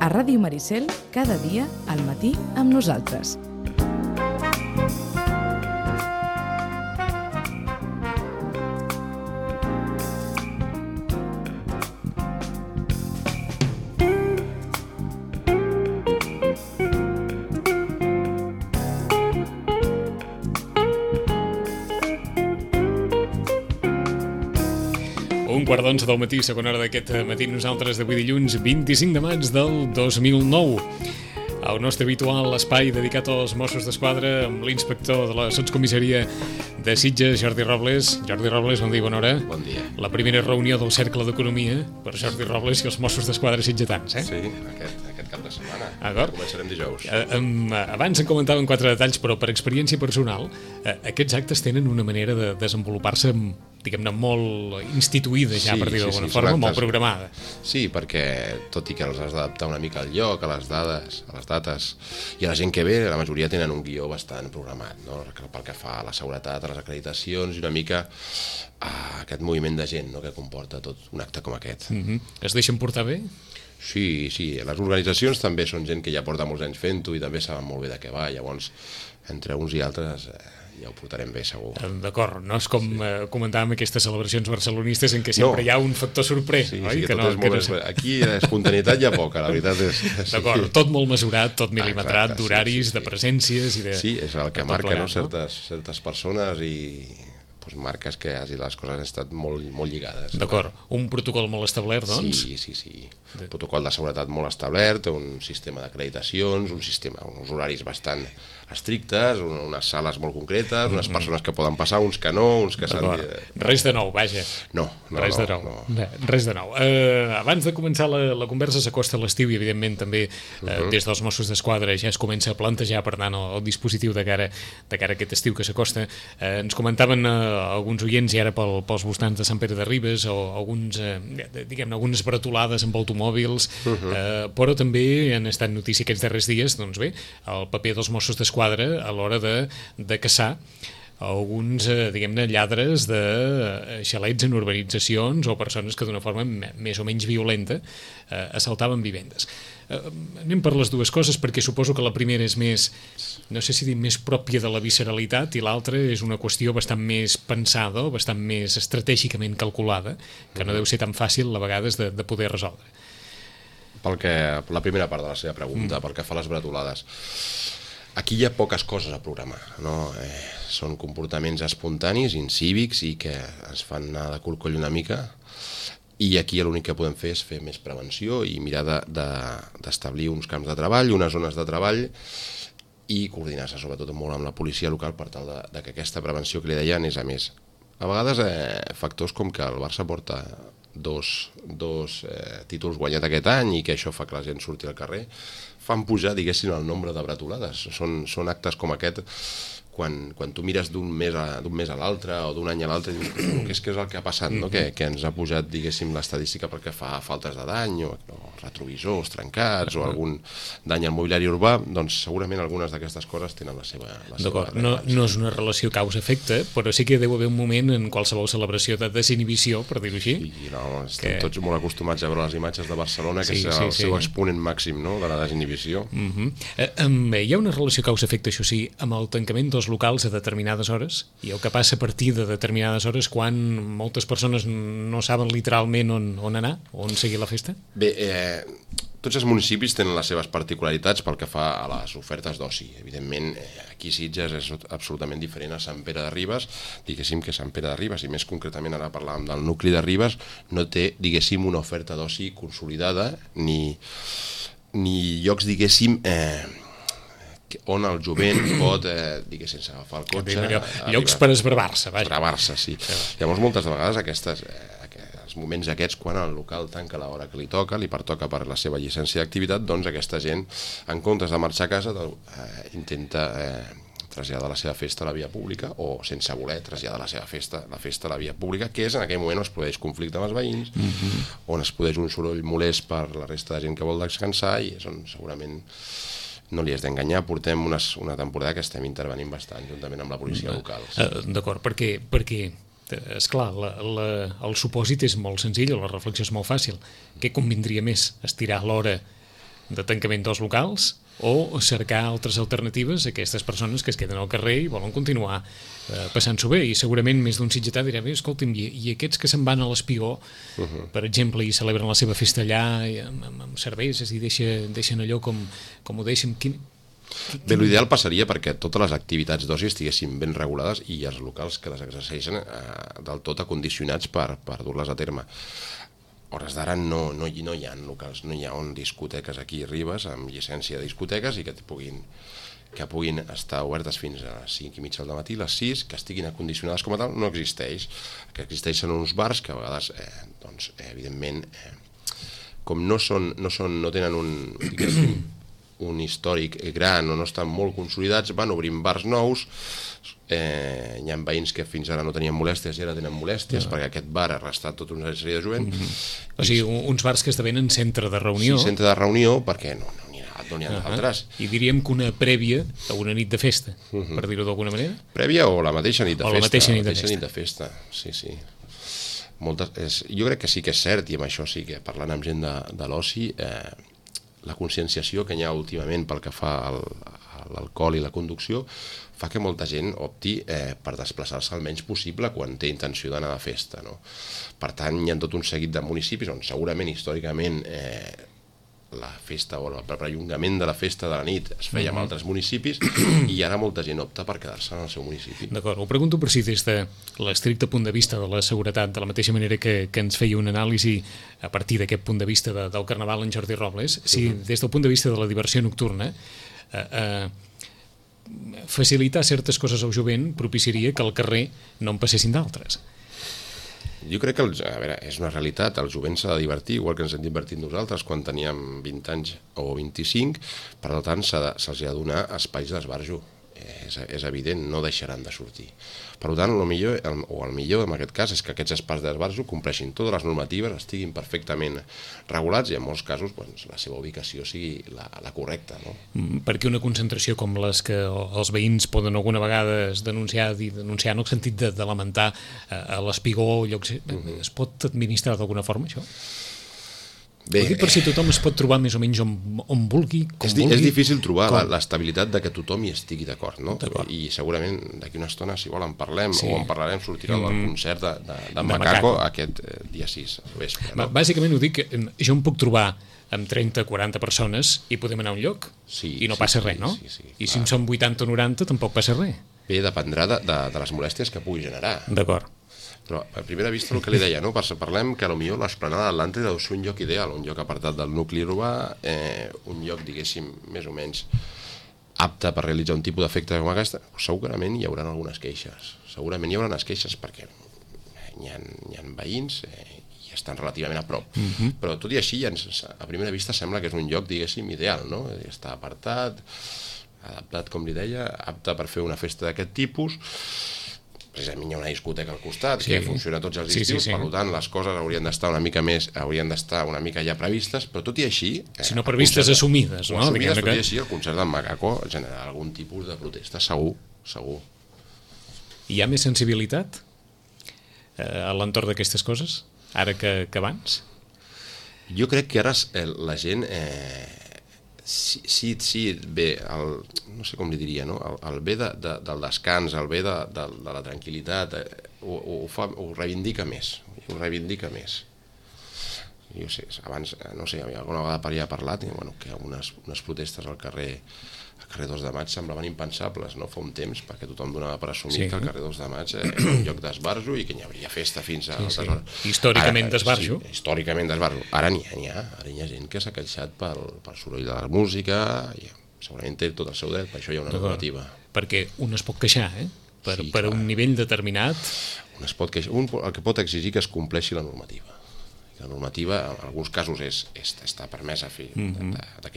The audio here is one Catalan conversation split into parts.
A Ràdio Maricel, cada dia, al matí, amb nosaltres. Un quart d'onze del matí, segona hora d'aquest matí, nosaltres d'avui dilluns 25 de maig del 2009. El nostre habitual espai dedicat als Mossos d'Esquadra amb l'inspector de la sotscomissaria de Sitges, Jordi Robles. Jordi Robles, bon dia, bona hora. Bon dia. La primera reunió del Cercle d'Economia per Jordi Robles i els Mossos d'Esquadra sitgetans, eh? Sí, aquest cap de setmana. D'acord. Començarem dijous. Abans en comentaven 4 detalls, però per experiència personal, aquests actes tenen una manera de desenvolupar-se, diguem-ne, molt instituïda ja, per dir d'alguna forma, molt programada. Sí, perquè tot i que els has d'adaptar una mica al lloc, a les dades, a les dates, i a la gent que ve, la majoria tenen un guió bastant programat, no? Pel que fa a la seguretat, a les acreditacions i una mica a aquest moviment de gent, no?, que comporta tot un acte com aquest. Es deixen portar bé? Sí, les organitzacions també són gent que ja porta molts anys fent-ho i també saben molt bé de què va, llavors entre uns i altres ja ho portarem bé, segur. D'acord, no és com comentàvem aquestes celebracions barcelonistes en què sempre hi ha un factor sorprès, oi? Sí, tot és molt... Aquí espontaneïtat hi ha poca, la veritat és... D'acord, tot molt mesurat, tot milimetrat, d'horaris, de presències i de... Sí, és el que marca, no?, certes persones i... marques que les coses han estat molt lligades. D'acord, un protocol molt establert, doncs? Sí. Un protocol de seguretat molt establert, un sistema d'acreditacions, uns horaris bastant estrictes, unes sales molt concretes, unes persones que poden passar, uns que no, uns que s'han... Res de nou, vaja. No. Res de nou. Abans de començar la conversa, s'acosta l'estiu i, evidentment, també des dels Mossos d'Esquadra ja es comença a plantejar, per tant, el dispositiu de cara a aquest estiu que s'acosta. Ens comentaven alguns oients, i ara pels voltants de Sant Pere de Ribes, o algunes bretolades amb automòbils, però també han estat notícia aquests darrers dies, doncs bé, el paper dels Mossos d'Esquadra a l'hora de caçar alguns, diguem-ne, lladres de xalets en urbanitzacions o persones que d'una forma més o menys violenta assaltaven vivendes. Anem per les dues coses, perquè suposo que la primera és més, no sé si dir més pròpia de la visceralitat, i l'altra és una qüestió bastant més pensada o bastant més estratègicament calculada, que no deu ser tan fàcil a vegades de poder resoldre. La primera part de la seva pregunta, pel que fa a les bretolades, aquí hi ha poques coses a programar, no? Són comportaments espontanis, incívics, i que ens fan anar de cul coll una mica, i aquí l'únic que podem fer és fer més prevenció i mirar d'establir uns camps de treball, unes zones de treball, i coordinar-se sobretot molt amb la policia local per tal de que aquesta prevenció que li deien és a més. A vegades factors com que el Barça porta dos títols guanyats aquest any i que això fa que la gent surti al carrer, fan pujar, diguéssim, el nombre de bretolades. Són actes com aquest, quan tu mires d'un mes a l'altre o d'un any a l'altre, dius, què és el que ha passat, no? Que ens ha pujat, diguéssim, l'estadística perquè fa faltes de dany o retrovisors trencats o algun dany al mobiliari urbà, doncs segurament algunes d'aquestes coses tenen la seva... D'acord, no és una relació causa-efecte, però sí que deu haver un moment en qualsevol celebració de desinhibició, per dir-ho així. Sí, estem tots molt acostumats a veure les imatges de Barcelona, que és el seu exponent màxim, no?, de la desinhibició. Hi ha una relació causa-efecte, això sí, amb el tancament dels locals a determinades hores, i el que passa a partir de determinades hores quan moltes persones no saben literalment on anar, on seguir la festa? Bé, tots els municipis tenen les seves particularitats pel que fa a les ofertes d'oci. Evidentment, aquí Sitges és absolutament diferent a Sant Pere de Ribes. Diguéssim que Sant Pere de Ribes, i més concretament ara parlàvem del nucli de Ribes, no té, diguéssim, una oferta d'oci consolidada, ni llocs, diguéssim, on el jovent pot, diguéssim, sense agafar el cotxe... Llocs per esbravar-se, vaja. Esbravar-se, sí. Llavors, moltes de vegades els moments aquests, quan el local tanca l'hora que li toca, li pertoca per la seva llicència d'activitat, doncs aquesta gent, en comptes de marxar a casa, intenta traslladar la seva festa a la via pública, o sense voler traslladar la festa a la via pública, que és en aquell moment on es produeix conflicte amb els veïns, on es produeix un soroll molest per la resta de gent que vol descansar, i és on segurament no li has d'enganyar, portem una temporada que estem intervenint bastant juntament amb la policia local. D'acord, perquè esclar, el supòsit és molt senzill, la reflexió és molt fàcil. Què convindria més? Estirar l'hora de tancament dels locals o cercar altres alternatives a aquestes persones que es queden al carrer i volen continuar passant-s'ho bé. I segurament més d'un sitgetà dirà, escolta'm, i aquests que se'n van a l'Espigó, per exemple, i celebren la seva festa allà amb cerveses i deixen allò com ho deixen... Bé, l'ideal passaria perquè totes les activitats d'oci estiguessin ben regulades i els locals que les exerceixen del tot acondicionats per dur-les a terme. A hores d'ara no hi ha locals, no hi ha discoteques aquí a Ribes amb llicència de discoteques i que puguin estar obertes fins a les 5 i mitja del matí, les 6, que estiguin acondicionades com a tal, no existeix. Que existeixen uns bars que a vegades, evidentment, com no tenen un històric gran o no estan molt consolidats, van obrint bars nous. Hi ha veïns que fins ara no tenien molèsties i ara tenen molèsties perquè aquest bar ha restat tota una sèrie de jovent. O sigui, uns bars que esdevenen centre de reunió. Sí, centre de reunió, perquè no n'hi ha d'altres. I diríem que una prèvia a una nit de festa, per dir-ho d'alguna manera. Prèvia o la mateixa nit de festa. O la mateixa nit de festa, sí. Jo crec que sí que és cert, i amb això sí que parlant amb gent de l'oci, la conscienciació que hi ha últimament pel que fa a l'alcohol i la conducció fa que molta gent opti per desplaçar-se el menys possible quan té intenció d'anar de festa, no? Per tant, hi ha tot un seguit de municipis on segurament històricament la festa o el perllongament de la festa de la nit es feia en altres municipis i ara molta gent opta per quedar-se en el seu municipi. D'acord, ho pregunto per si des de l'estricte punt de vista de la seguretat, de la mateixa manera que ens feia una anàlisi a partir d'aquest punt de vista del Carnaval en Jordi Robles, si des del punt de vista de la diversió nocturna facilitar certes coses al jovent propiciaria que al carrer no en passessin d'altres. Jo crec que, és una realitat, el jovent s'ha de divertir, igual que ens hem divertit nosaltres quan teníem 20 anys o 25, per tant se'ls ha de donar espais d'esbarjo. És evident, no deixaran de sortir. Per tant, el millor en aquest cas és que aquests espais d'esbarjo compleixin totes les normatives, estiguin perfectament regulats i en molts casos la seva ubicació sigui la correcta. Perquè una concentració com les que els veïns poden alguna vegada denunciar en el sentit de lamentar a l'Espigó, es pot administrar d'alguna forma això? Bé, ho dic per si tothom es pot trobar més o menys on vulgui, com vulgui. És difícil trobar l'estabilitat de que tothom hi estigui d'acord, no? I segurament d'aquí una estona, si vol, en parlem o en parlarem, sortirà el concert de Macaco aquest dia 6 al vespre. Bàsicament ho dic, jo em puc trobar amb 30-40 persones i podem anar a un lloc i no passa res, no? I si en som 80 o 90 tampoc passa res. Bé, dependrà de les molèsties que pugui generar. D'acord. Però a primera vista el que li deia, parlem que potser l'esplanada d'Atlàntida deu ser un lloc ideal, un lloc apartat del nucli urbà, un lloc, diguéssim, més o menys apte per realitzar un tipus d'efecte com aquesta. Segurament hi haurà algunes queixes, perquè hi ha veïns i estan relativament a prop. Però tot i així, a primera vista sembla que és un lloc, diguéssim, ideal, no? Està apartat, adaptat, com li deia, apte per fer una festa d'aquest tipus. Precisament hi ha una discoteca al costat que funciona tots els estius, per tant les coses haurien d'estar una mica ja previstes, però tot i així... Si no previstes, assumides, no? Tot i així el concert del Macaco generarà algun tipus de protesta, segur. Hi ha més sensibilitat a l'entorn d'aquestes coses, ara que abans? Jo crec que ara la gent... Sí, bé, no sé com li diria, no? El bé del descans, el bé de la tranquil·litat, ho reivindica més, Jo sé, abans, no sé, alguna vegada per allà he parlat, que unes protestes al carrer 2 de maig semblaven impensables, no? Fa un temps, perquè tothom donava per assumir que el carrer 2 de maig era un lloc d'esbarjo i que hi hauria festa fins a altres hores. Històricament d'esbarjo. Sí, històricament d'esbarjo. Ara n'hi ha gent que s'ha queixat pel soroll de la música, i segurament té tot el seu dret, per això hi ha una normativa. Perquè un es pot queixar, per un nivell determinat. Un el que pot exigir que es compleixi la normativa. La normativa, en alguns casos, està permesa que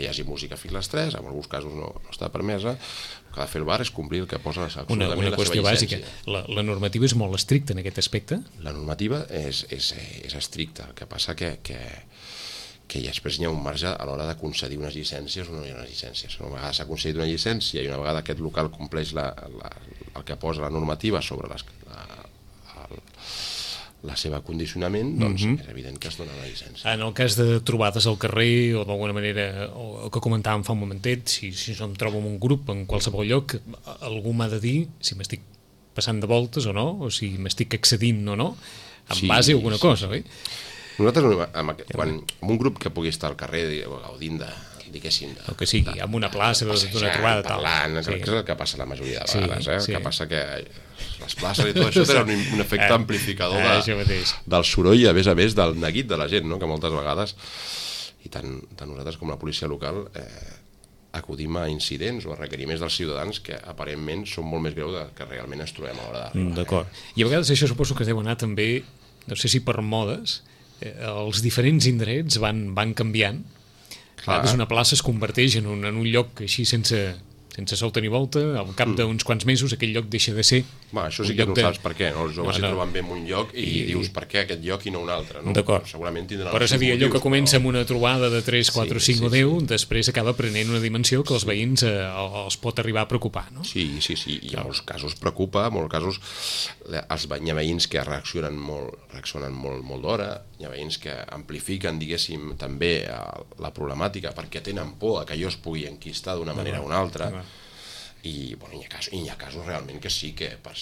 hi hagi música fins a les 3, en alguns casos no està permesa. El que ha de fer el bar és complir el que posa la seva llicència. Una qüestió bàsica. La normativa és molt estricta en aquest aspecte? La normativa és estricta. El que passa que després hi ha un marge a l'hora de concedir unes llicències o no hi ha unes llicències. Una vegada s'ha concedit una llicència i una vegada aquest local compleix el que posa la normativa sobre la seva condicionament, doncs és evident que es dona la llicència. En el cas de trobades al carrer o d'alguna manera, o el que comentàvem fa un momentet, si em trobo en un grup en qualsevol lloc, algú m'ha de dir si m'estic passant de voltes o no, o si m'estic excedint o no, en base a alguna cosa, oi? Nosaltres, quan un grup que pugui estar al carrer gaudint diguéssim... El que sigui, en una plaça, d'una trobada, tal. Parlant, que és el que passa la majoria de vegades, que passa que les places i tot això tenen un efecte amplificador del soroll i a més del neguit de la gent, no? Que moltes vegades, i tant nosaltres com la policia local, acudim a incidents o a requeriments dels ciutadans que aparentment són molt més greus del que realment ens trobem a l'hora d'arribar. D'acord. I a vegades això suposo que es deu anar també, no sé si per modes, els diferents indrets van canviant. A vegades una plaça es converteix en un lloc així sense solta ni volta, al cap d'uns quants mesos aquell lloc deixa de ser... Això sí que no saps per què, no? Els joves s'hi troben bé en un lloc i dius per què aquest lloc i no un altre, no? D'acord. Segurament tindran... Però és a dir, allò que comença amb una trobada de 3, 4, 5 o 10, després acaba prenent una dimensió que els veïns els pot arribar a preocupar, no? Sí, i en molts casos preocupa, en molts casos hi ha veïns que reaccionen molt d'hora, hi ha veïns que amplifiquen, diguéssim, també la problemàtica perquè tenen por que allò es pugui enquistar d'una manera o una altra. I hi ha casos realment que sí que per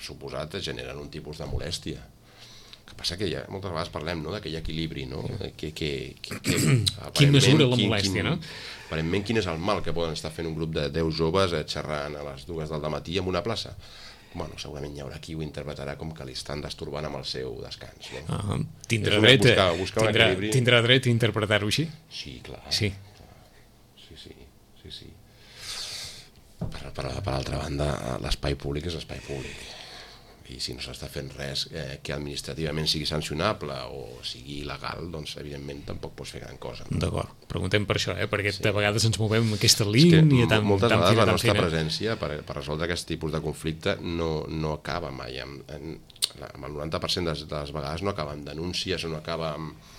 suposat generen un tipus de molèstia. El que passa que moltes vegades parlem d'aquell equilibri, no? Qui mesura la molèstia, no? Aparentment quin és el mal que poden estar fent un grup de 10 joves xerrant a les 2 del matí en una plaça? Bueno, segurament hi haurà qui ho interpretarà com que li estan destorbant amb el seu descans, no? Tindrà dret a interpretar-ho així? Sí, clar. Sí. Per altra banda, l'espai públic és espai públic i si no s'està fent res que administrativament sigui sancionable o sigui il·legal, doncs evidentment tampoc pots fer gran cosa. D'acord, preguntem per això, perquè de vegades ens movem en aquesta línia tan moltes vegades la nostra presència per resoldre aquest tipus de conflicte no acaba mai amb el 90% de les vegades no acaba amb denúncies o no acaba amb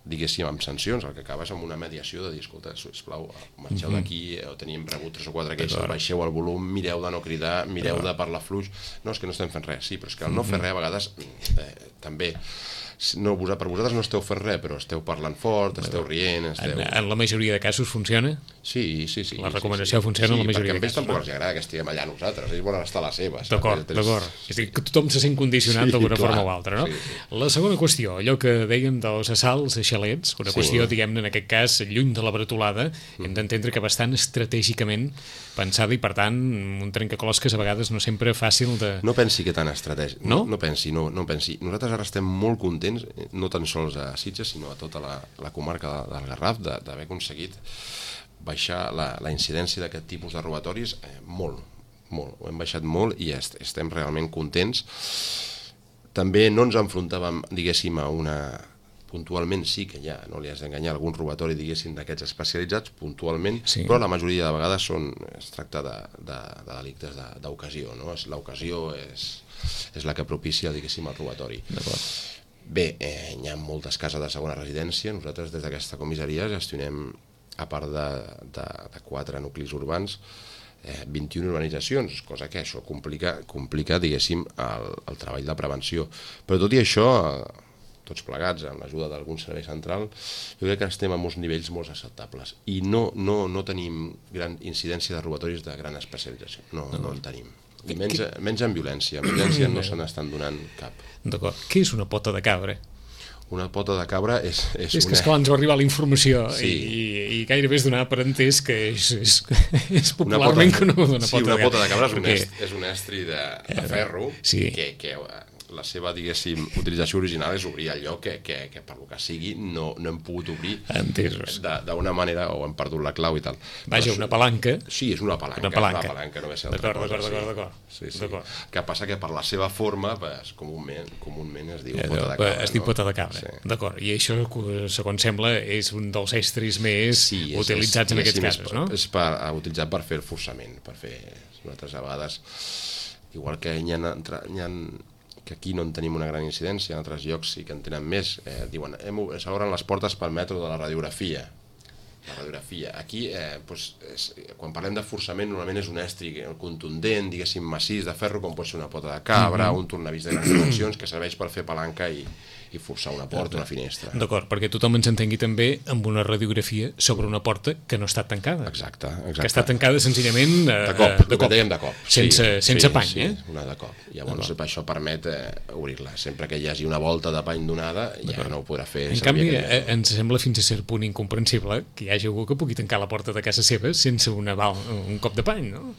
diguéssim, amb sancions, el que acaba és amb una mediació de dir, escolta, sisplau, marxeu d'aquí, teníem rebut 3 o 4 queixes, baixeu el volum, mireu de no cridar, mireu de parlar fluix. No, és que no estem fent res, sí, però és que el no fer res a vegades també... per vosaltres no esteu fent res, però esteu parlant fort, esteu rient... En la majoria de casos funciona? Sí. La recomanació funciona en la majoria de casos. Perquè a ells tampoc els agrada que estiguem allà nosaltres, ells volen estar a les seves. D'acord. És a dir, que tothom se sent condicionat d'alguna forma o altra, no? La segona qüestió, allò que dèiem dels assalts a xalets, una qüestió, diguem-ne, en aquest cas, lluny de la bretolada, hem d'entendre que bastant estratègicament pensada i, per tant, un trencaclosques a vegades no sempre fàcil de... No pensi que tan estratègic. No pensi. Nosaltres ara estem molt contents, no tan sols a Sitges, sinó a tota la comarca del Garraf, d'haver aconseguit baixar la incidència d'aquest tipus de robatoris molt. Ho hem baixat molt i estem realment contents. També no ens enfrontàvem, diguéssim, a una... Puntualment sí que hi ha, no li has d'enganyar, algun robatori, diguéssim, d'aquests especialitzats, puntualment, però la majoria de vegades es tracta de delictes d'ocasió, no? L'ocasió és la que propicia, diguéssim, el robatori. Bé, hi ha moltes cases de segona residència, nosaltres des d'aquesta comissaria gestionem, a part de 4 nuclis urbans, 21 urbanitzacions, cosa que això complica, diguéssim, el treball de prevenció. Però tot i això, tots plegats, amb l'ajuda d'algun servei central, jo crec que estem a uns nivells molt acceptables i no tenim gran incidència de robatoris de gran especialització, no en tenim. I menys en violència, no se n'estan donant cap. D'acord. Què és una pota de cabra? Una pota de cabra és que esclar, ens va arribar la informació i gairebé és donar per entès que és popularment coneguda una pota de cabra. Sí, una pota de cabra és un estri de ferro que la seva, diguéssim, utilització original és obrir allò que per lo que sigui no hem pogut obrir d'una manera o hem perdut la clau i tal. Vaja, una palanca. Sí, és una palanca, no ve ser altra cosa. D'acord. Que passa que per la seva forma, comúment es diu pota de cabra. Es diu pota de cabra, d'acord. I això, segons sembla, és un dels estris més utilitzats en aquests casos, no? És utilitzat per fer el forçament, per fer altres vegades, igual que hi ha que aquí no en tenim una gran incidència, en altres llocs sí que en tenen més. Diuen, s'obren les portes pel metro de la radiografia. La radiografia. Aquí, quan parlem de forçament, normalment és un estri contundent, diguéssim, massís de ferro, com pot ser una pota de cabra, un tornavís de grans dimensions, que serveix per fer palanca i forçar una porta, una finestra. D'acord, perquè tothom ens entengui també amb una radiografia sobre una porta que no està tancada. Exacte. Que està tancada senzillament de cop. De cop. Sense pany, una de cop. Llavors això permet obrir-la. Sempre que hi hagi una volta de pany donada, ja no ho podrà fer. En canvi, ens sembla fins a cert punt incomprensible que hi hagi algú que pugui tancar la porta de casa seva sense un cop de pany, no?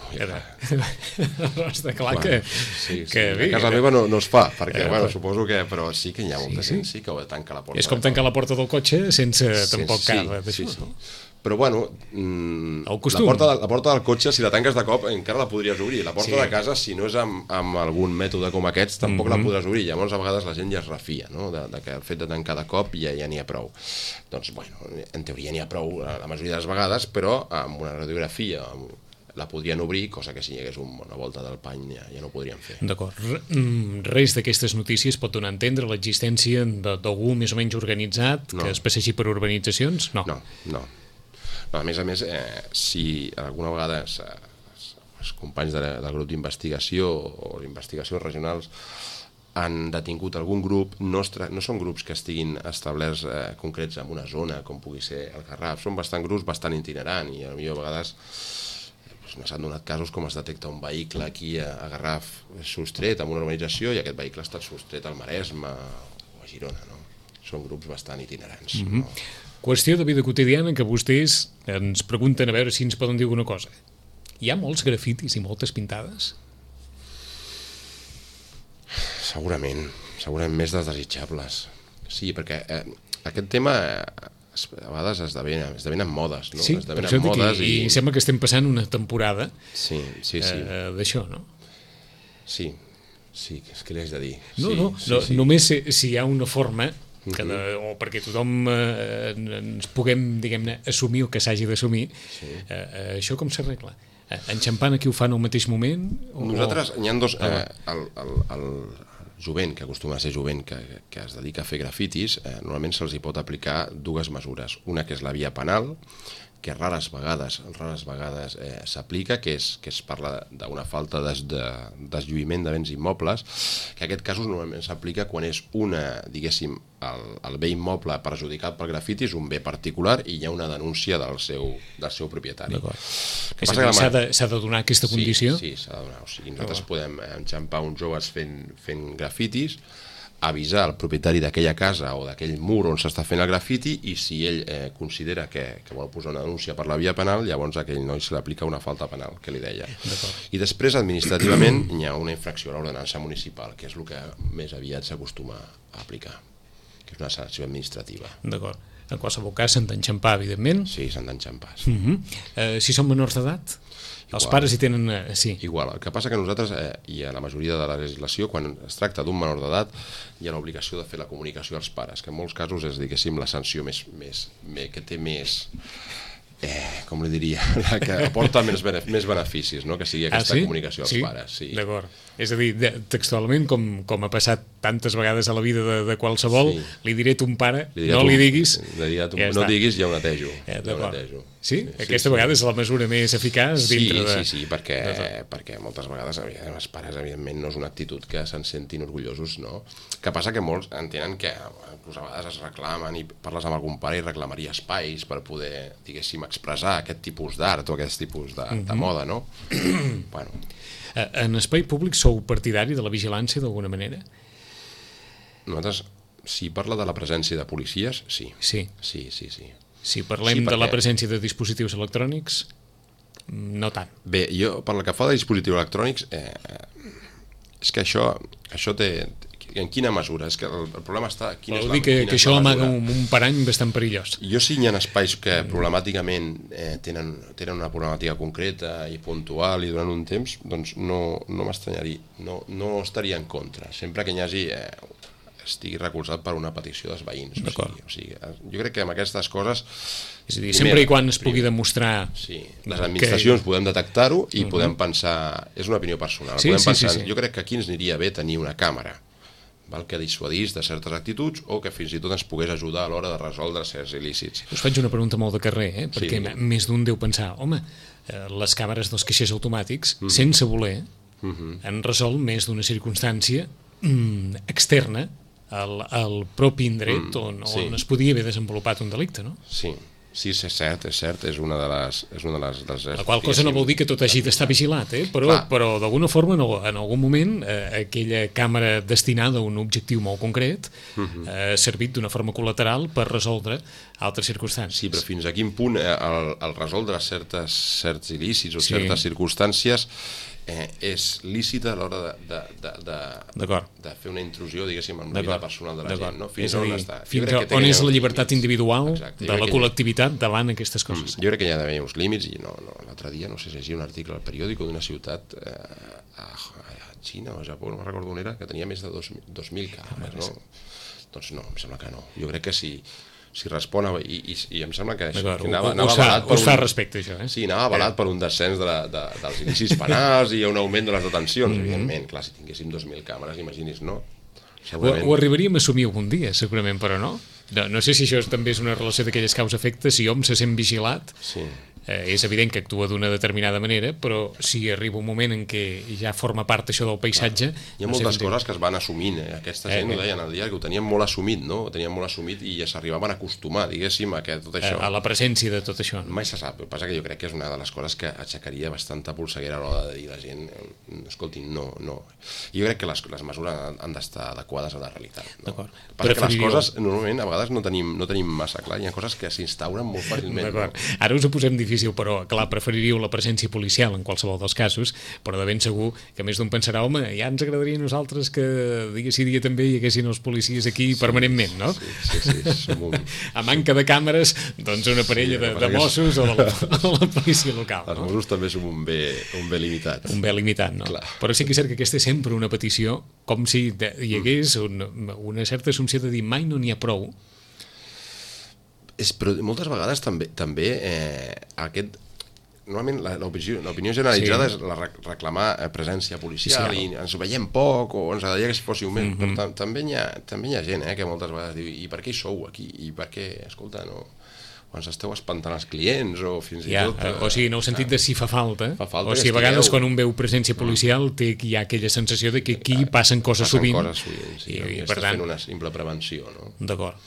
Està clar que a casa meva no es fa, perquè suposo que, però sí que hi ha molta gent que tanca la porta. És com tancar la porta del cotxe sense tampoc cara d'això, no? Però bueno, la porta del cotxe, si la tanques de cop, encara la podries obrir. La porta de casa, si no és amb algun mètode com aquests, tampoc la podràs obrir. Llavors, a vegades la gent ja es refia, no?, de que el fet de tancar de cop ja n'hi ha prou. Doncs, bueno, en teoria n'hi ha prou la majoria de les vegades, però amb una radiografia la podrien obrir, cosa que si hi hagués una volta del pany ja no ho podrien fer. D'acord. Res d'aquestes notícies pot donar a entendre l'existència d'algú més o menys organitzat que es passegi per urbanitzacions? No. A més, si alguna vegada els companys del grup d'investigació o investigacions regionals han detingut algun grup, no són grups que estiguin establerts concrets en una zona, com pugui ser el Garraf, són grups bastant itinerants i potser a vegades s'han donat casos com es detecta un vehicle aquí a Garraf sostret en una urbanització i aquest vehicle ha estat sostret al Maresme o a Girona, no? Són grups bastant itinerants. Qüestió de vida quotidiana que vostès ens pregunten a veure si ens poden dir alguna cosa. Hi ha molts grafitis i moltes pintades? Segurament més desitjables. Sí, perquè aquest tema a vegades esdevenen modes, no? Sí, per això dic, i sembla que estem passant una temporada d'això, no? Sí, què li haig de dir? Només si hi ha una forma o perquè tothom ens puguem, diguem-ne, assumir el que s'hagi d'assumir, això com s'arregla? Enxampant aquí ho fan al mateix moment? Nosaltres, n'hi ha dos... El jovent, que acostuma a ser jovent, que es dedica a fer grafitis, normalment se'ls hi pot aplicar dues mesures. Una que és la via penal, que rares vegades s'aplica, que es parla d'una falta d'eslluïment de béns immobles, que en aquest cas normalment s'aplica quan és diguéssim, el bé immoble perjudicat pel grafiti és un bé particular i hi ha una denúncia del seu propietari. S'ha de donar aquesta condició? Sí, s'ha de donar. O sigui, nosaltres podem enxampar uns joves fent grafitis, avisar el propietari d'aquella casa o d'aquell mur on s'està fent el grafiti i si ell considera que vol posar una denúncia per la via penal, llavors a aquell noi se li aplica una falta penal, que li deia. I després, administrativament, hi ha una infracció a l'ordenança municipal, que és el que més aviat s'acostuma a aplicar, que és una sanció administrativa. D'acord. En qualsevol cas, s'han d'enxampar, evidentment. Sí, s'han d'enxampar. Si són menors d'edat? Els pares hi tenen... Sí. Igual. El que passa que nosaltres, i a la majoria de la legislació, quan es tracta d'un menor d'edat, hi ha l'obligació de fer la comunicació als pares, que en molts casos és, diguéssim, la sanció que té més... com li diria, la que aporta més beneficis, no? Que sigui aquesta comunicació als pares. Sí. D'acord. És a dir, textualment, com ha passat tantes vegades a la vida de qualsevol, li diré a ton pare, no li diguis... No diguis, ja ho netejo. Sí? Aquesta vegada és la mesura més eficaç dintre de... Sí, perquè moltes vegades els pares, evidentment, no és una actitud que se'n sentin orgullosos, no? Que passa que molts entenen que a vegades es reclamen i parles amb algun pare i reclamaria espais per poder, diguéssim, expressar aquest tipus d'art o aquest tipus de moda, no? Bueno. En espai públic sou partidari de la vigilància d'alguna manera? Nosaltres, si parla de la presència de policies, sí. Sí. Si parlem de la presència de dispositius electrònics, no tant. Bé, jo, per la que fa de dispositius electrònics, és que això té... En quina mesura? És que el problema està... Vol dir que això amaga un parany bastant perillós. Jo sí hi ha espais que problemàticament tenen una problemàtica concreta i puntual i durant un temps, doncs no m'estranyaria, no estaria en contra, sempre que hi hagi... estigui recolzat per una petició dels veïns. O sigui, jo crec que amb aquestes coses... És a dir, sempre i quan es pugui demostrar... Sí, les administracions podem detectar-ho i podem pensar... És una opinió personal. Jo crec que aquí ens aniria bé tenir una càmera que dissuadís de certes actituds o que fins i tot ens pogués ajudar a l'hora de resoldre certs il·lícits. Us faig una pregunta molt de carrer, perquè més d'un deu pensar, home, les càmeres dels caixers automàtics, sense voler, han resolt més d'una circumstància externa al propi indret on es podia haver desenvolupat un delicte, no? Sí, és cert, és una de les... La qual cosa no vol dir que tot hagi d'estar vigilat, però d'alguna forma en algun moment aquella càmera destinada a un objectiu molt concret ha servit d'una forma col·lateral per resoldre altres circumstàncies. Sí, però fins a quin punt el resoldre certs il·lícits o certes circumstàncies és lícita a l'hora de fer una intrusió, diguéssim, en la vida personal de la gent, no? Fins on està. Fins on és la llibertat individual de la col·lectivitat davant aquestes coses. Jo crec que hi ha d'haver uns límits, i l'altre dia, no sé si llegia un article al periòdic d'una ciutat a Xina o a Japó, no me'n recordo on era, que tenia més de 2.000 càmeres, no? Doncs no, em sembla que no. Jo crec que si respon i em sembla que anava avalat per us fa respecte, això, Sí, anava avalat per un descens dels il·lícits penals i un augment de les detencions, evidentment. Clar, si tinguéssim 2.000 càmeres, imagini's, no? Ho arribaríem a assumir algun dia, segurament, però no. No sé si això també és una relació d'aquelles causa-efecte, si hom se sent vigilat, és evident que actua d'una determinada manera, però si arriba un moment en què ja forma part això del paisatge... Hi ha moltes coses que es van assumint, aquesta gent ho deien al diari, que ho tenien molt assumit, no? Ho tenien molt assumit i ja s'arribaven a acostumar, diguéssim, a tot això. A la presència de tot això. Mai se sap, el que passa que jo crec que és una de les coses que aixecaria bastanta polseguera a l'hora de dir a la gent, escolti, no. Jo crec que les mesures han d'estar adequades a la realitat. D'acord. Passa que les coses, normalment, a vegades no tenim massa clar, hi ha coses que s'instauren molt fàcilment. Ara us ho posem difícil, però clar, preferiríeu la presència policial en qualsevol dels casos, però de ben segur que més d'un pensarà, home, ja ens agradaria a nosaltres que dia sí dia també hi haguessin els policies aquí permanentment, no? Sí, som un... A manca de càmeres, doncs una parella de Mossos o la policia local. Els Mossos també som un bé limitat. Un bé limitat, no? Clar. Però sí que és cert que aquesta és sempre una petició, com si hi hagués una certa assumpció de dir mai no n'hi ha prou. Però moltes vegades també normalment l'opinió generalitzada és reclamar presència policial i ens veiem poc o ens agradaria que si fóssiu més, però també hi ha gent que moltes vegades diu, i per què hi sou aquí? I per què, escolta, no... o ens esteu espantant els clients o fins i tot... O sigui, no heu sentit de si fa falta, o sigui, a vegades quan un veu presència policial hi ha aquella sensació de que aquí passen coses sovint i per tant... fent una simple prevenció, no? D'acord.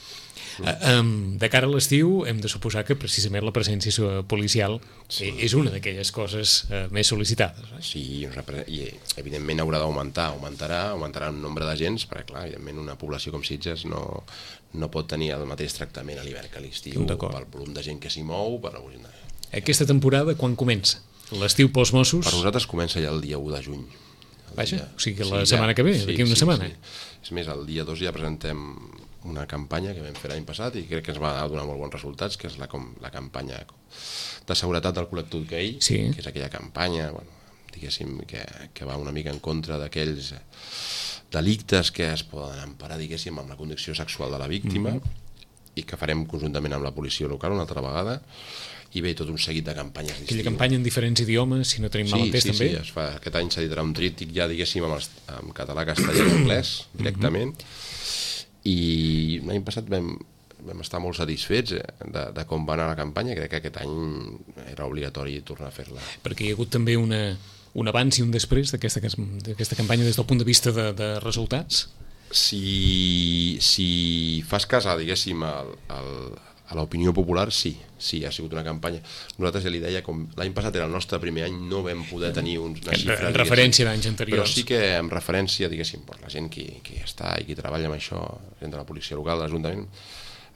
De cara a l'estiu hem de suposar que precisament la presència policial és una d'aquelles coses més sol·licitades. Sí, i evidentment haurà d'augmentar, augmentarà el nombre d'agents, perquè clar, evidentment una població com Sitges no pot tenir el mateix tractament a l'hivern que a l'estiu, pel volum de gent que s'hi mou. Aquesta temporada quan comença? L'estiu pels Mossos? Per nosaltres comença ja el dia 1 de juny. Vaja, o sigui la setmana que ve, d'aquí una setmana. És més, el dia 2 ja presentem una campanya que vam fer l'any passat i crec que ens va donar molt bons resultats, que és la campanya de seguretat del col·lectiu gay, que és aquella campanya, diguéssim, que va una mica en contra d'aquells delictes que es poden emparar, diguéssim, amb la condició sexual de la víctima i que farem conjuntament amb la policia local una altra vegada, i bé, tot un seguit de campanyes distintes. Aquella campanya en diferents idiomes, si no tenim mal entès, també? Sí, aquest any s'editarà un tríptic ja, diguéssim, en català, castellà i anglès, directament, i l'any passat vam estar molt satisfets de com va anar la campanya. Crec que aquest any era obligatori tornar a fer-la. Perquè hi ha hagut també un abans i un després d'aquesta campanya des del punt de vista de resultats? Si fas cas, diguéssim, a l'opinió popular, sí, ha sigut una campanya. Nosaltres ja li deia, com l'any passat era el nostre primer any, no vam poder tenir una xifra... En referència d'anys anteriors. Però sí que en referència, diguéssim, la gent que està i qui treballa amb això, gent de la policia local, de l'Ajuntament,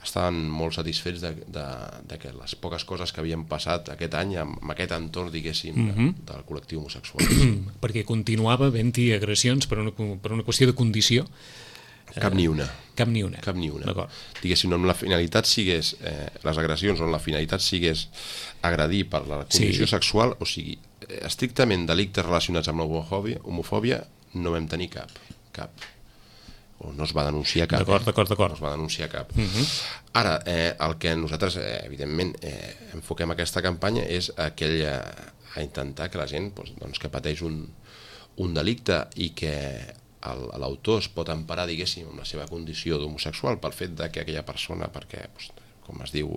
estaven molt satisfets de que les poques coses que havien passat aquest any amb aquest entorn, diguéssim, del col·lectiu homosexual. Perquè continuava havent-hi agressions per una qüestió de condició. Cap ni una. D'acord. Diguéssim, on la finalitat sigués, les agressions on la finalitat sigués agredir per la condició sexual, o sigui, estrictament delictes relacionats amb l'homofòbia, no vam tenir cap. O no es va denunciar cap. D'acord. No es va denunciar cap. Ara, el que nosaltres, evidentment, enfoquem aquesta campanya és a intentar que la gent que pateix un delicte i que l'autor es pot emparar, diguéssim, amb la seva condició d'homosexual pel fet que aquella persona, perquè, com es diu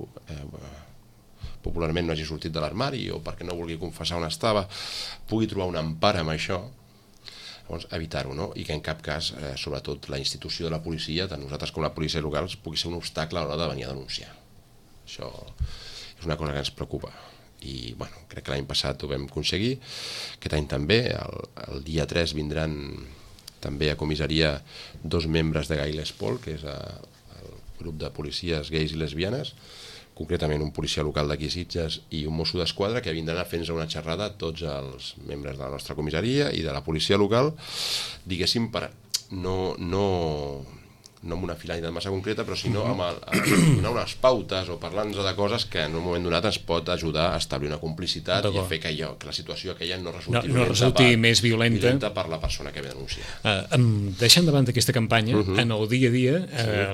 popularment, no hagi sortit de l'armari o perquè no vulgui confessar on estava, pugui trobar una empara amb això, llavors evitar-ho, no? I que en cap cas, sobretot la institució de la policia, tant nosaltres com la policia local, pugui ser un obstacle a l'hora de venir a denunciar. Això és una cosa que ens preocupa. I bueno, crec que l'any passat ho vam aconseguir, aquest any també, el dia 3 vindran també a comissaria 2 membres de Gai Les Paul, que és el grup de policies gais i lesbianes, concretament un policia local d'aquí Sitges i un mosso d'esquadra, que vindran a fer-nos una xerrada a tots els membres de la nostra comissaria i de la policia local, diguéssim, per no amb una finalitat massa concreta, però sinó amb donar unes pautes o parlar-nos de coses que en un moment donat ens pot ajudar a establir una complicitat i a fer que la situació aquella no resulti més violenta per la persona que ve a denunciar. Deixant de banda aquesta campanya, en el dia a dia,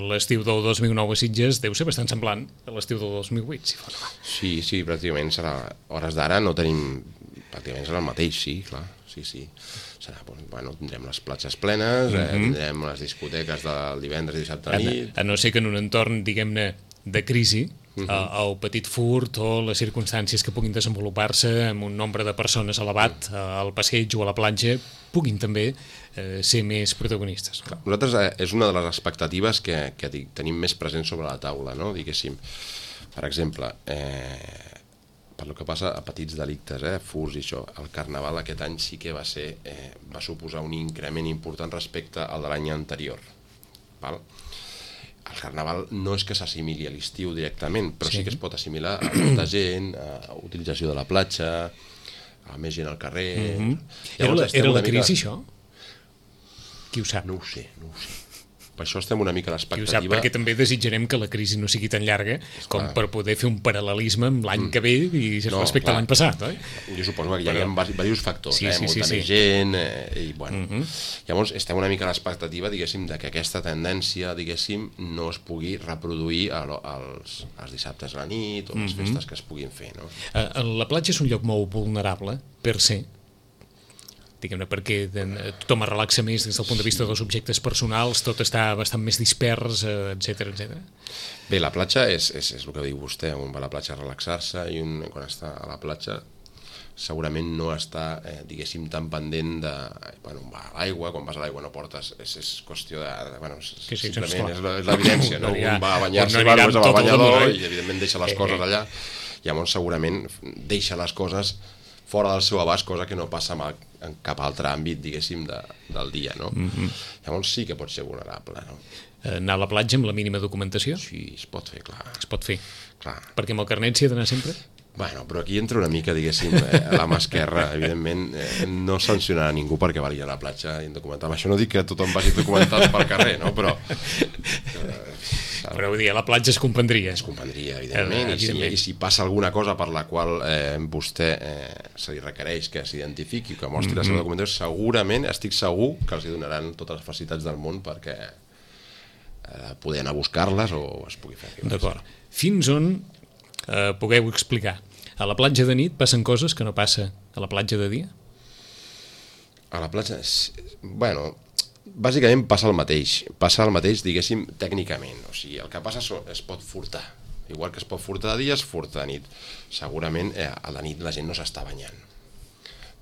l'estiu del 2009 a Sitges deu ser bastant semblant a l'estiu del 2008, si fos. Sí, pràcticament serà. A hores d'ara no tenim... Pràcticament serà el mateix, sí, clar. Sí. Serà, bueno, tindrem les platges plenes, tindrem les discoteques del divendres i dissabte a nit... A no ser que en un entorn, diguem-ne, de crisi, el petit furt o les circumstàncies que puguin desenvolupar-se amb un nombre de persones elevat al passeig o a la platja puguin també ser més protagonistes. Nosaltres és una de les expectatives que tenim més present sobre la taula, no? Diguéssim, per exemple, per el que passa a petits delictes, furs i això, el Carnaval aquest any sí que va suposar un increment important respecte al de l'any anterior. Val? El Carnaval no és que s'assimili a l'estiu directament, però sí que es pot assimilar a molta gent, a utilització de la platja, a més gent al carrer... Era la crisi, això? Qui ho sap? No ho sé. Per això estem una mica a l'expectativa... Qui ho sap, perquè també desitjarem que la crisi no sigui tan llarga com per poder fer un paral·lelisme amb l'any que ve i respecte a l'any passat, oi? Jo suposo que hi ha diversos factors, molta més gent, i bueno... Llavors estem una mica a l'expectativa, diguéssim, que aquesta tendència, diguéssim, no es pugui reproduir els dissabtes a la nit o les festes que es puguin fer, no? La platja és un lloc molt vulnerable, per ser, diguem-ne, perquè tothom es relaxa més des del punt de vista dels objectes personals, tot està bastant més dispers, etc. Bé, la platja és el que diu vostè, un va a la platja a relaxar-se i quan està a la platja segurament no està, diguéssim, tan pendent de... Bueno, va a l'aigua, quan vas a l'aigua no portes... És qüestió de... Bueno, simplement és l'evidència, no? Un va a banyar-se, va al banyador i evidentment deixa les coses allà. Llavors segurament deixa les coses fora del seu abast, cosa que no passa en cap altre àmbit, diguéssim, del dia, no? Llavors sí que pot ser vulnerable, no? Anar a la platja amb la mínima documentació? Sí, es pot fer, clar. Es pot fer? Clar. Perquè amb el carnet s'hi ha d'anar sempre? Bueno, però aquí entra una mica, diguéssim, a la mà esquerra. Evidentment, no sancionarà ningú perquè vagi a la platja indocumentat. Això no dic que tothom vagi documentat pel carrer, no? Però vull dir, a la platja es comprendria. Es comprendria, evidentment. I si passa alguna cosa per la qual vostè se li requereix que s'identifiqui, que mostri la seva documentació, segurament, estic segur que els donaran totes les facilitats del món perquè poder anar a buscar-les o es pugui fer. D'acord. Fins on pugueu explicar? A la platja de nit passen coses que no passa a la platja de dia? A la platja... Bueno, bàsicament passa el mateix, diguéssim, tècnicament. O sigui, el que passa es pot furtar. Igual que es pot furtar de dia, es furta de nit. Segurament a la nit la gent no s'està banyant.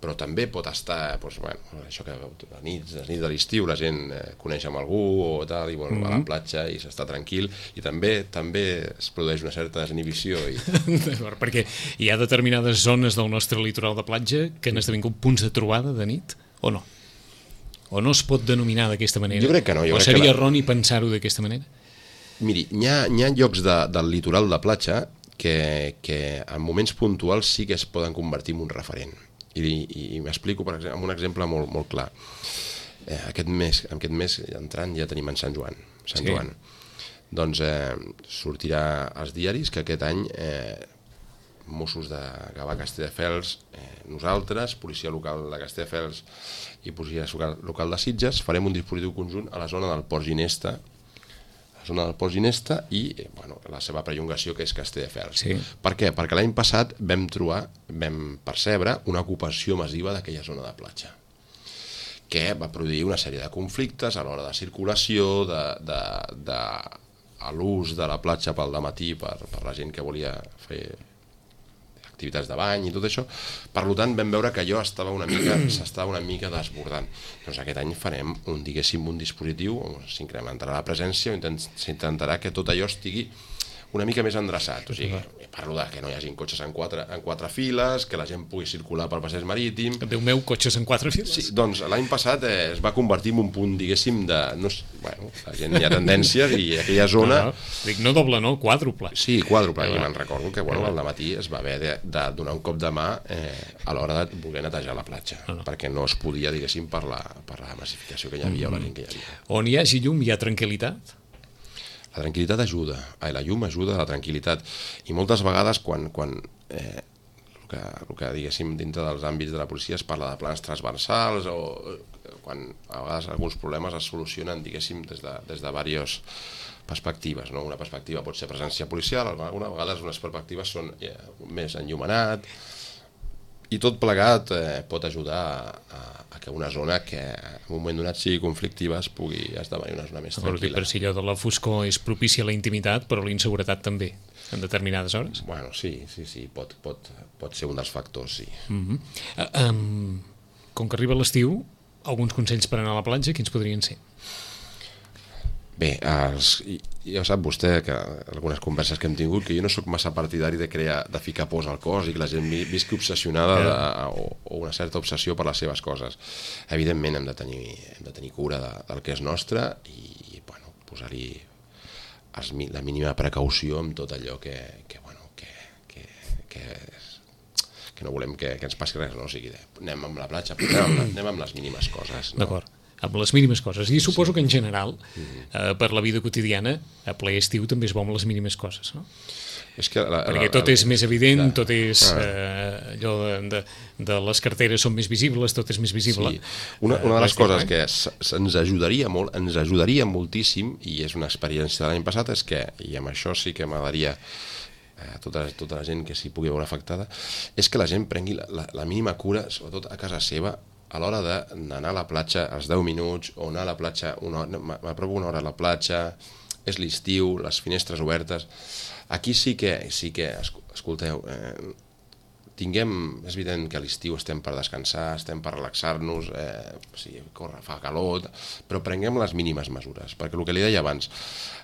Però també pot estar, doncs, bueno, això que a nit de l'estiu la gent coneix amb algú o tal, i vol a la platja i s'està tranquil, i també es produeix una certa desinhibició. Perquè hi ha determinades zones del nostre litoral de platja que han esdevingut punts de trobada de nit, o no? O no es pot denominar d'aquesta manera? Jo crec que no. O seria erroni pensar-ho d'aquesta manera? Miri, hi ha llocs del litoral de platja que en moments puntuals sí que es poden convertir en un referent. I m'explico, per exemple, amb un exemple molt clar. Aquest mes entrant ja tenim en Sant Joan. Doncs sortirà als diaris que aquest any Mossos de Gavà, Castelldefels, nosaltres, policia local de Castelldefels i policia local de Sitges, farem un dispositiu conjunt a la zona del Port Ginesta, i la seva perllongació, que és Castelldefels. Per què? Perquè l'any passat vam percebre una ocupació massiva d'aquella zona de platja, que va produir una sèrie de conflictes a l'hora de circulació, a l'ús de la platja pel dematí per la gent que volia fer activitats de bany i tot això. Per tant, vam veure que allò s'estava una mica desbordant. Doncs aquest any farem un dispositiu on s'incrementarà la presència, s'intentarà que tot allò estigui una mica més endreçat. O sigui, parlo de que no hi hagi cotxes en quatre files, que la gent pugui circular pel passeig marítim. Déu meu, cotxes en 4 files? Sí, doncs l'any passat es va convertir en un punt, diguéssim, de... Bueno, la gent hi ha tendències i aquella zona... Dic, no doble, no? Quàdruple. Sí, quàdruple. I me'n recordo que al dematí es va haver de donar un cop de mà a l'hora de voler netejar la platja, perquè no es podia, diguéssim, per la massificació que hi havia o la gent que hi havia. On hi hagi llum hi ha tranquil·litat? La tranquil·litat ajuda, la llum ajuda a la tranquil·litat, i moltes vegades quan el que diguéssim dintre dels àmbits de la policia es parla de plans transversals o quan a vegades alguns problemes es solucionen, diguéssim, des de diverses perspectives, no? Una perspectiva pot ser presència policial, algunes vegades unes perspectives són més enllumenat, i tot plegat pot ajudar a que una zona que en un moment donat sigui conflictiva es pugui esdevenir una zona més tranquil·la. Per si allò de la foscor és propici a la intimitat, però la inseguretat també, en determinades hores? Bueno, sí, pot ser un dels factors, sí. Com que arriba l'estiu, alguns consells per anar a la platja, quins podrien ser? Bé, ja sap vostè que algunes converses que hem tingut que jo no sóc massa partidari de ficar pors al cos i que la gent visqui obsessionada o una certa obsessió per les seves coses. Evidentment hem de tenir cura del que és nostre i posar-hi la mínima precaució amb tot allò que no volem que ens passi res, no? O sigui, anem amb la platja, però anem amb les mínimes coses, no? D'acord, amb les mínimes coses. I suposo que en general, per la vida quotidiana, a ple estiu també es va amb les mínimes coses, no? Perquè tot és més evident, tot és allò de les carteres són més visibles, tot és més visible. Una de les coses que ens ajudaria molt, ens ajudaria moltíssim, i és una experiència de l'any passat, és que, i amb això sí que m'agradaria tota la gent que s'hi pugui veure afectada, és que la gent prengui la mínima cura, sobretot a casa seva, a l'hora d'anar a la platja als 10 minuts o anar a la platja, m'apropo una hora a la platja, és l'estiu, les finestres obertes. Aquí sí que escolteu, és evident que a l'estiu estem per descansar, estem per relaxar-nos, fa calor, però prenguem les mínimes mesures, perquè el que li deia abans,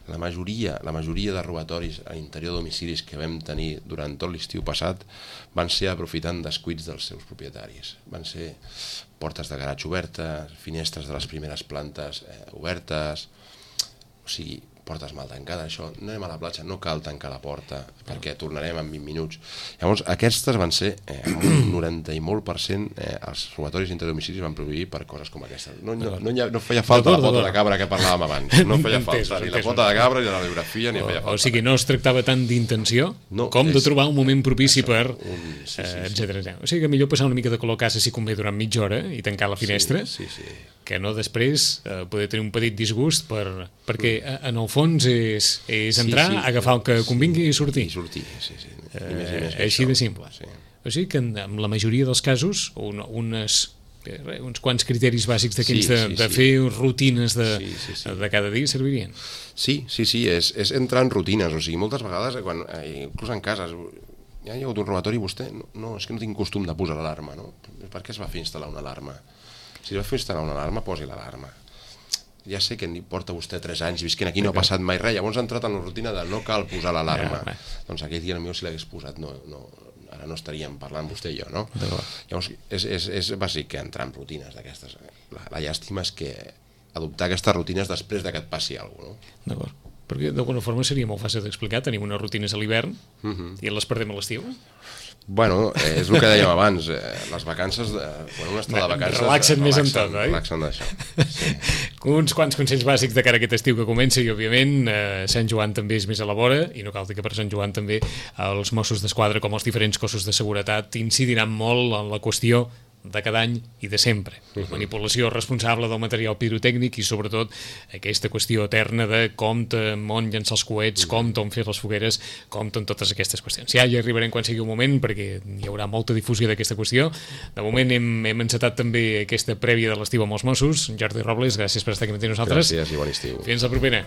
la majoria de robatoris a l'interior de domicilis que vam tenir durant tot l'estiu passat van ser aprofitant descuits dels seus propietaris. Van ser portes de garatge obertes, finestres de les primeres plantes obertes, o sigui, portes mal tancades, això, no anem a la platja, no cal tancar la porta, perquè tornarem en 20 minuts. Llavors, aquestes van ser, un 90 i molt %, els robatoris interdomicilis van produir per coses com aquesta. No feia falta la pota de cabra que parlàvem abans, no feia falta ni la pota de cabra, ni la radiografia, ni feia falta. O sigui, no es tractava tant d'intenció com de trobar un moment propici per, etcètera. O sigui que millor passar una mica de color a casa si convé durant mitja hora i tancar la finestra, que no després poder tenir un petit disgust perquè en el fons és entrar, agafar el que convingui i sortir. Així de simple. O sigui que en la majoria dels casos uns quants criteris bàsics d'aquells de fer rutines de cada dia servirien. Sí, és entrar en rutines. O sigui, moltes vegades, inclús en cases, hi ha hagut un robatori i vostè, no, és que no tinc costum de posar l'alarma, no? Per què es va fer instal·lar una alarma? Si es va fer instal·lar una alarma, posi l'alarma. Ja sé que porta vostè 3 anys visquent aquí, no ha passat mai res, llavors ha entrat en la rutina de no cal posar l'alarma. Doncs aquell dia potser si l'hagués posat, ara no estaríem parlant vostè i jo, no? Llavors és bàsic que entrar en rutines d'aquestes. La llàstima és que adoptar aquestes rutines després que et passi alguna cosa, no? D'acord. Perquè d'alguna forma seria molt fàcil d'explicar, tenim unes rutines a l'hivern i les perdem a l'estiu. Bueno, és el que dèiem abans, les vacances, quan un està de vacances... Relaxen més en tot, oi? Relaxen d'això. Uns quants consells bàsics de cara a aquest estiu que comença i, òbviament, Sant Joan també és més a la vora i no cal dir que per Sant Joan també els Mossos d'Esquadra, com els diferents cossos de seguretat, incidiran molt en la qüestió de cada any i de sempre. La manipulació responsable del material pirotècnic i sobretot aquesta qüestió eterna de compte on llançar els coets, compte on fer les fogueres, compte en totes aquestes qüestions. Ja hi arribarem quan sigui un moment perquè hi haurà molta difusió d'aquesta qüestió. De moment hem encetat també aquesta prèvia de l'estiu amb els Mossos. Jordi Robles, gràcies per estar aquí amb nosaltres. Gràcies i bon estiu. Fins la propera.